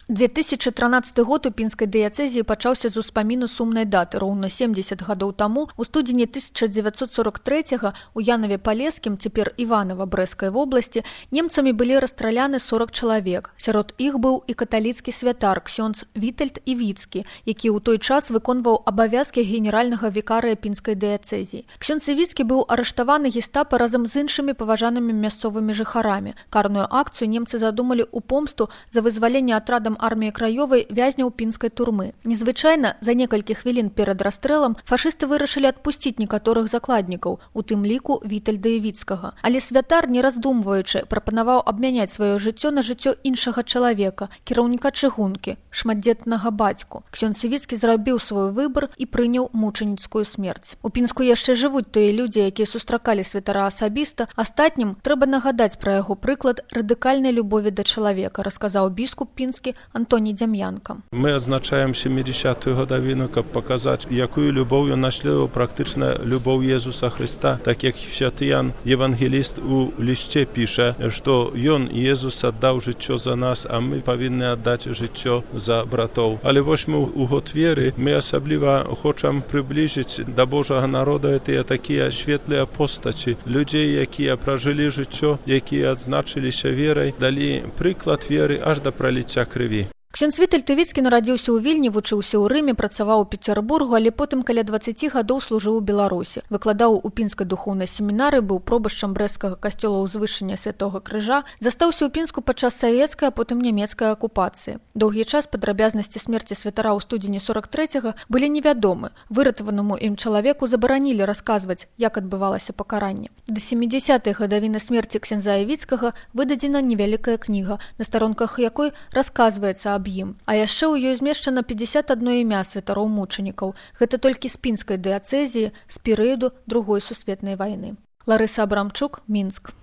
2013 год у пінскай дыяцэзіі пачаўся з успаміну сумнай даты. Роўна 70 гадоў таму, у студзені 1943 у Янаве-Палескім, цяпер Іванава Брэскай вобласці, немцамі былі расстраляны 40 чалавек. Сярод іх быў і каталіцкі святар ксёндз Вітальд Івіцкі, які ў той час выконваў абавязкі генеральнага вікарыя пінскай дыяцэзіі. Ксёндз Івіцкі быў арыштаваны гестапа разам з іншымі паважанымі мясцовымі жыхарамі. Карную акцыю немцы задумалі ў помсту за вызваленне атрадам арміі краёвай вязняў пінскай турмы. Незвычайна, за некалькі хвілін перад расстрэлам фашысты вырашылі адпусціць некаторых закладнікаў, у тым ліку Вітальда Івіцкага. Але святар, не раздумваючы, прапанаваў абмяняць сваё жыццё на жыццё іншага чалавека, кіраўніка чыгункі, шматдзетнага бацьку. Ксёндз Івіцкі зрабіў свой выбар і прыняў мучаніцкую смерць. У Пінску яшчэ жывуць тыя людзі, якія сустракалі святара асабіста. Астатнім трэба нагадаць пра яго прыклад радыкальнай любові да чалавека, расказаў біскуп пінскі Антоній Дзям'янка. Мы адзначаем 70-ю гадавіну, каб паказаць, якую любоўю наследаваў практычна любоў Езуса Хрыста, так як святы Ян Евангеліст у лісце піша, што ён, Езус, аддаў жыццё за нас, а мы павінны аддаць жыццё за братоў. Але вось мы у год веры, мы асабліва хочам прыбліжыць да Божага народа тыя такія светлыя постаці, людзей, якія пражылі жыццё, якія адзначыліся верай, далі прыклад веры аж да праліцця крыві. Ксёндз Вітальд Івіцкі нарадзіўся ў Вільні, вучыўся ў Рыме, працаваў у Пецярбургу, але потым каля 20 гадоў служыў у Беларусі. Выкладаў у пінскай духоўнай семінары, быў пробашчам брэсцкага касцёла ўзвышання Святога Крыжа, застаўся ў Пінску падчас савецкай, а потым нямецкай акупацыі. Доўгі час падрабязнасці смерці святара ў студзені 43-го былі невядомы. Выратаванаму ім чалавеку забаранілі расказваць, як адбывалася пакаранне. Да 70-й гадавіны смерці ксяндза Івіцкага выдадзена невялікая кніга, на старонках якой расказваецца аб ім. А яшчэ ў ёй змешчана 51 імя святароў-мучанікаў. Гэта толькі з пінскай дыяцэзіі з перыяду Другой сусветнай вайны. Ларыса Абрамчук, Мінск.